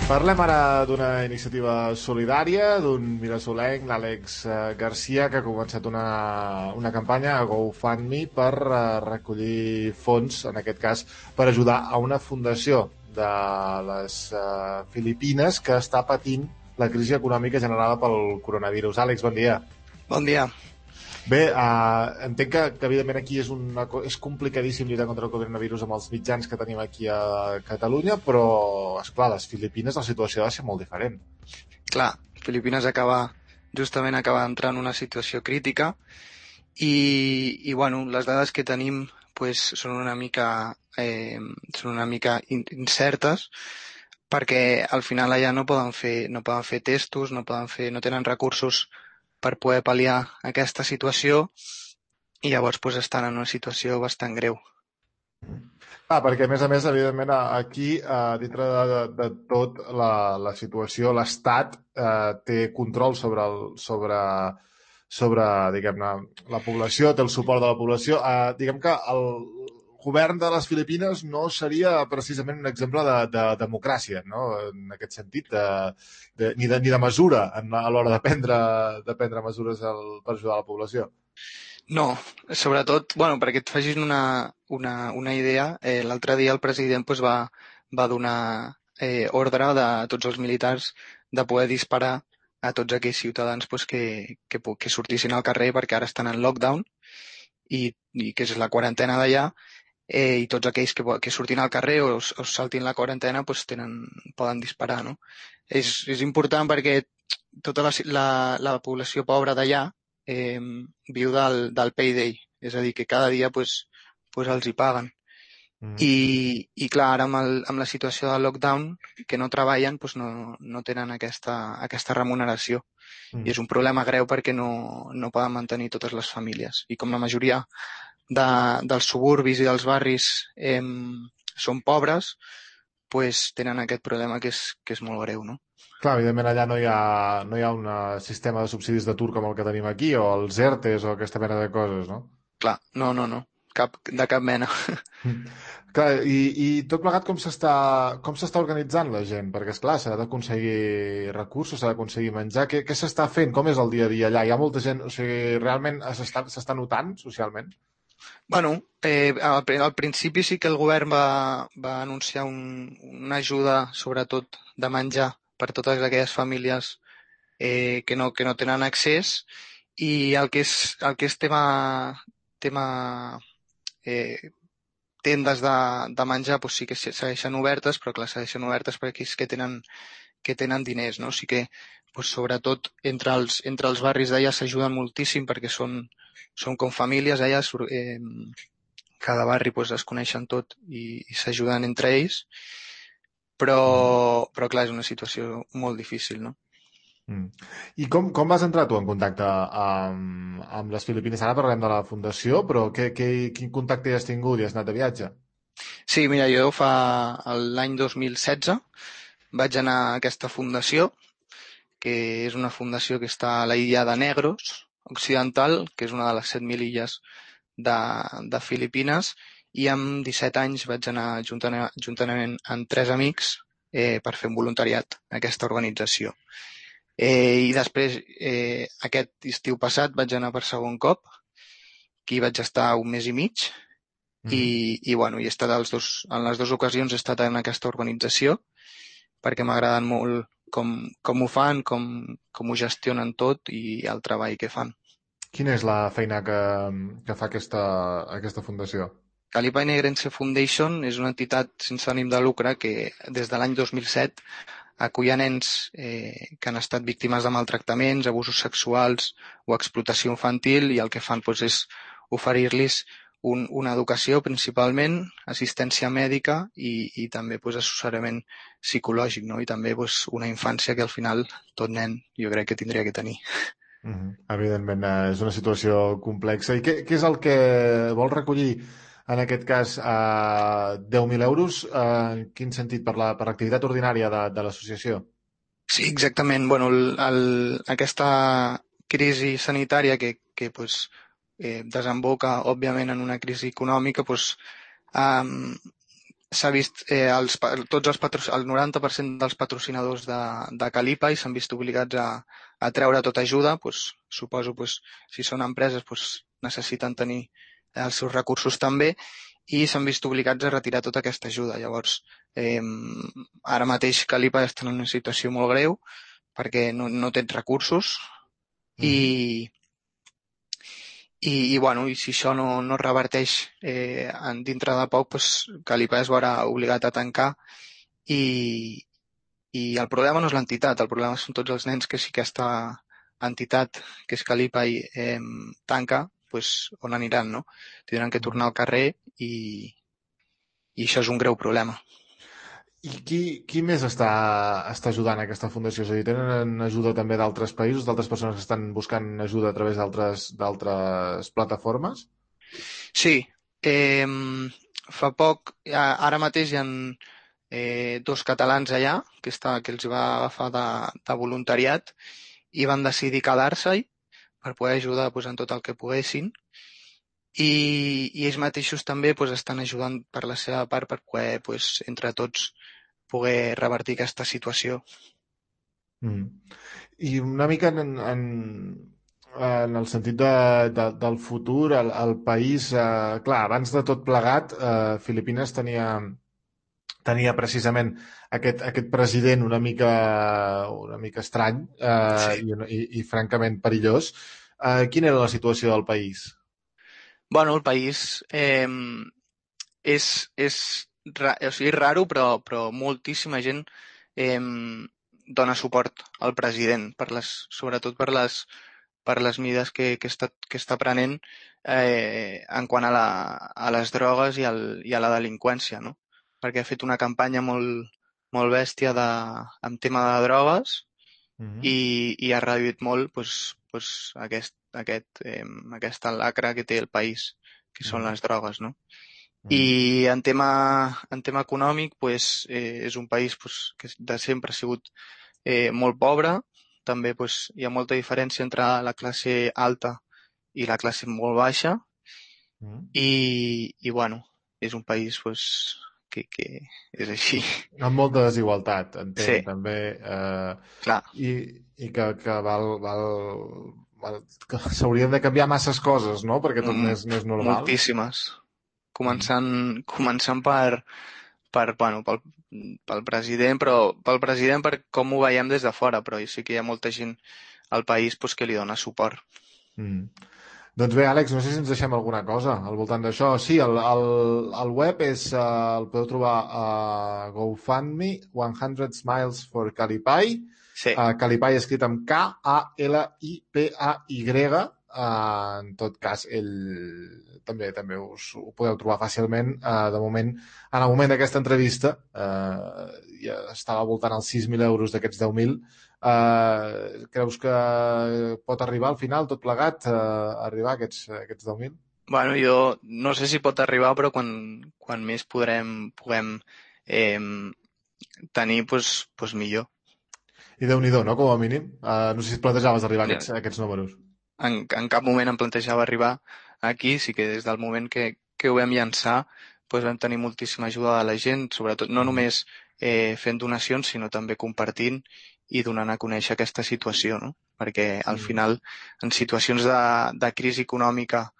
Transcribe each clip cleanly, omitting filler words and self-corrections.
Parlem ara d'una iniciativa solidària d'un mirasolenc, l'Àlex Garcia, que ha començat una campanya a GoFundMe per recollir fons, en aquest cas, per ajudar a una fundació de les Filipines que està patint la crisi econòmica generada pel coronavirus. Àlex, bon dia. Bon dia. Bé, entenc que evidentment aquí és complicadíssim lluitar contra el coronavirus amb els mitjans que tenim aquí a Catalunya, però, esclar, les Filipines la situació ha de ser molt diferent. Clar, Filipines justament acaba d'entrar en una situació crítica i bueno, les dades que tenim pues, són una mica incertes perquè al final allà no poden fer testos, no tenen recursos per poder pal·liar aquesta situació i llavors pues, estan en una situació bastant greu. Perquè a més, evidentment, aquí, dintre de tot la situació, l'Estat té control sobre diguem-ne, la població, té el suport de la població. Diguem que el govern de les Filipines no seria precisament un exemple de democràcia, no? En aquest sentit, ni de mesura a l'hora de prendre mesures per ajudar la població. No, sobretot, bueno, perquè et facis una idea, l'altre dia el president pues, va donar ordre de tots els militars de poder disparar a tots aquells ciutadans pues, que sortissin al carrer perquè ara estan en lockdown i que és la quarantena d'allà i tots aquells que surtin al carrer o saltin la quarantena pues, poden disparar, no? És important perquè tota la població pobra d'allà viu del payday, és a dir, que cada dia pues, els hi paguen. I clar, ara amb la situació del lockdown, que no treballen, pues no tenen aquesta remuneració. I és un problema greu perquè no poden mantenir totes les famílies. I com la majoria dels suburbis i dels barris són pobres, pues tenen aquest problema que és molt greu, no? Clar, evidentment allà no hi ha un sistema de subsidis d'atur com el que tenim aquí, o els ERTEs o aquesta mena de coses, no? Clar, no. De cap mena. Clar, i tot plegat com s'està organitzant la gent? Perquè, esclar, s'ha d'aconseguir recursos, s'ha d'aconseguir menjar. Què s'està fent? Com és el dia a dia allà? Hi ha molta gent... O sigui, realment s'està notant socialment? Bueno, al principi sí que el govern va anunciar una ajuda, sobretot de menjar, per totes aquelles famílies que no tenen accés i el que és tema tendes de menjar doncs sí que segueixen obertes, però clar, segueixen obertes per aquells que tenen diners, no? O sigui que doncs, sobretot entre els barris d'allà s'ajuden moltíssim perquè són com famílies allà, cada barri doncs, es coneixen tot i s'ajuden entre ells, però clar, és una situació molt difícil, no? I com vas entrar tu en contacte amb les Filipines? Ara parlem de la fundació, però quin contacte hi has tingut? I has anat de viatge? Sí, mira, jo l'any 2016 vaig anar a aquesta fundació, que és una fundació que està a la illa de Negros Occidental, que és una de les 7.000 illes de Filipines, i amb 17 anys vaig anar juntament amb 3 amics per fer un voluntariat a aquesta organització. I després, aquest estiu passat, vaig anar per segon cop, que hi vaig estar un mes i mig, i bueno, he estat en les dues ocasions he estat en aquesta organització, perquè m'agraden molt com ho fan, com ho gestionen tot i el treball que fan. Quina és la feina que fa aquesta fundació? Calipa i Negrense Foundation és una entitat sense ànim de lucre que des de l'any 2007 acull a nens que han estat víctimes de maltractaments, abusos sexuals o explotació infantil i el que fan doncs, és oferir-los una educació principalment, assistència mèdica i també doncs, assessorament psicològic, no? I també doncs, una infància que al final tot nen jo crec que tindria que tenir. Evidentment, és una situació complexa. I què és el que vol recollir en aquest cas 10.000 euros? En quin sentit? Per l'activitat ordinària de l'associació? Sí, exactament. Bueno, aquesta crisi sanitària que pues, desemboca, òbviament, en una crisi econòmica, pues, s'ha vist tots el 90% dels patrocinadors de Calipa i s'han vist obligats a treure tota ajuda. Suposo si són empreses necessiten tenir els seus recursos també, i s'han vist obligats a retirar tota aquesta ajuda. Llavors, ara mateix Calipa està en una situació molt greu perquè no tens recursos i si això no reverteix dintre de poc, Calipa es veurà obligat a tancar i el problema no és l'entitat, el problema són tots els nens que si aquesta entitat, que és Calipa, tanca, on aniran, no? Tindran que tornar al carrer i això és un greu problema. I qui més està ajudant a aquesta fundació? És a dir, tenen ajuda també d'altres països, d'altres persones que estan buscant ajuda a través d'altres plataformes? Sí. Fa poc, ara mateix hi ha 2 catalans allà que els va agafar de voluntariat i van decidir quedar-se-hi per poder ajudar en tot el que poguessin. I ells mateixos també estan ajudant per la seva part per poder, entre tots, poder revertir aquesta situació. I una mica en el sentit del futur, el país, clar, abans de tot plegat, Filipines tenia precisament aquest president una mica estrany i francament perillós. Quina era la situació del país? Bueno, el país és raro, però moltíssima gent dona suport al president, sobretot per les medides que està prenent en quant a les drogues i a la delinqüència, no? Perquè ha fet una campanya molt bèstia en tema de drogues i ha reduït molt aquesta lacra que té el país, que són les drogues, no? I en tema econòmic, és un país que de sempre ha sigut molt pobre. També hi ha molta diferència entre la classe alta i la classe molt baixa. I bueno, és un país que és així. Amb molta desigualtat, entenc, sí. també. Clar. I que que s'haurien de canviar masses coses, no?, perquè tot més normal. Moltíssimes. Començant pel president, però pel president per com ho veiem des de fora, però sí que hi ha molta gent al país que li dona suport. Doncs bé, Àlex, no sé si ens deixem alguna cosa al voltant d'això. Sí, el web el podeu trobar a GoFundMe, 100 Smiles for Kalipay. Sí. Kalipay escrit amb Kalipay. En tot cas, ell també us ho podeu trobar fàcilment. De moment, en el moment d'aquesta entrevista, ja estava voltant als 6.000 euros d'aquests 10.000. Creus que pot arribar al final, tot plegat, arribar a aquests 10.000? Bueno, jo no sé si pot arribar, però quan més puguem tenir, millor. I Déu-n'hi-do, no?, com a mínim. No sé si et plantejaves arribar a aquests números. En cap moment em plantejava arribar aquí, sí que des del moment que ho vam llançar vam tenir moltíssima ajuda de la gent, sobretot no només fent donacions, sinó també compartint i donant a conèixer aquesta situació, no? Perquè al final, en situacions de crisi econòmica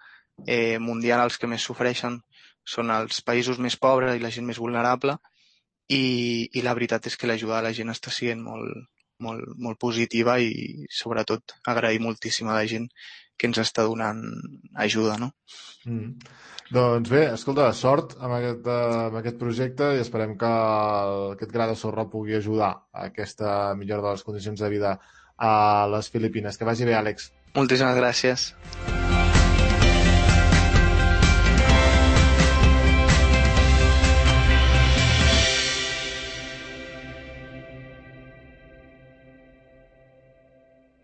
mundial, els que més sofreixen són els països més pobres i la gent més vulnerable, i la veritat és que l'ajuda de la gent està sent molt positiva i sobretot agrair moltíssim a la gent que ens està donant ajuda, no? Doncs bé, escolta, sort amb aquest projecte i esperem que aquest gra de sorra pugui ajudar a aquesta millora de les condicions de vida a les Filipines. Que vagi bé, Àlex. Moltíssimes gràcies.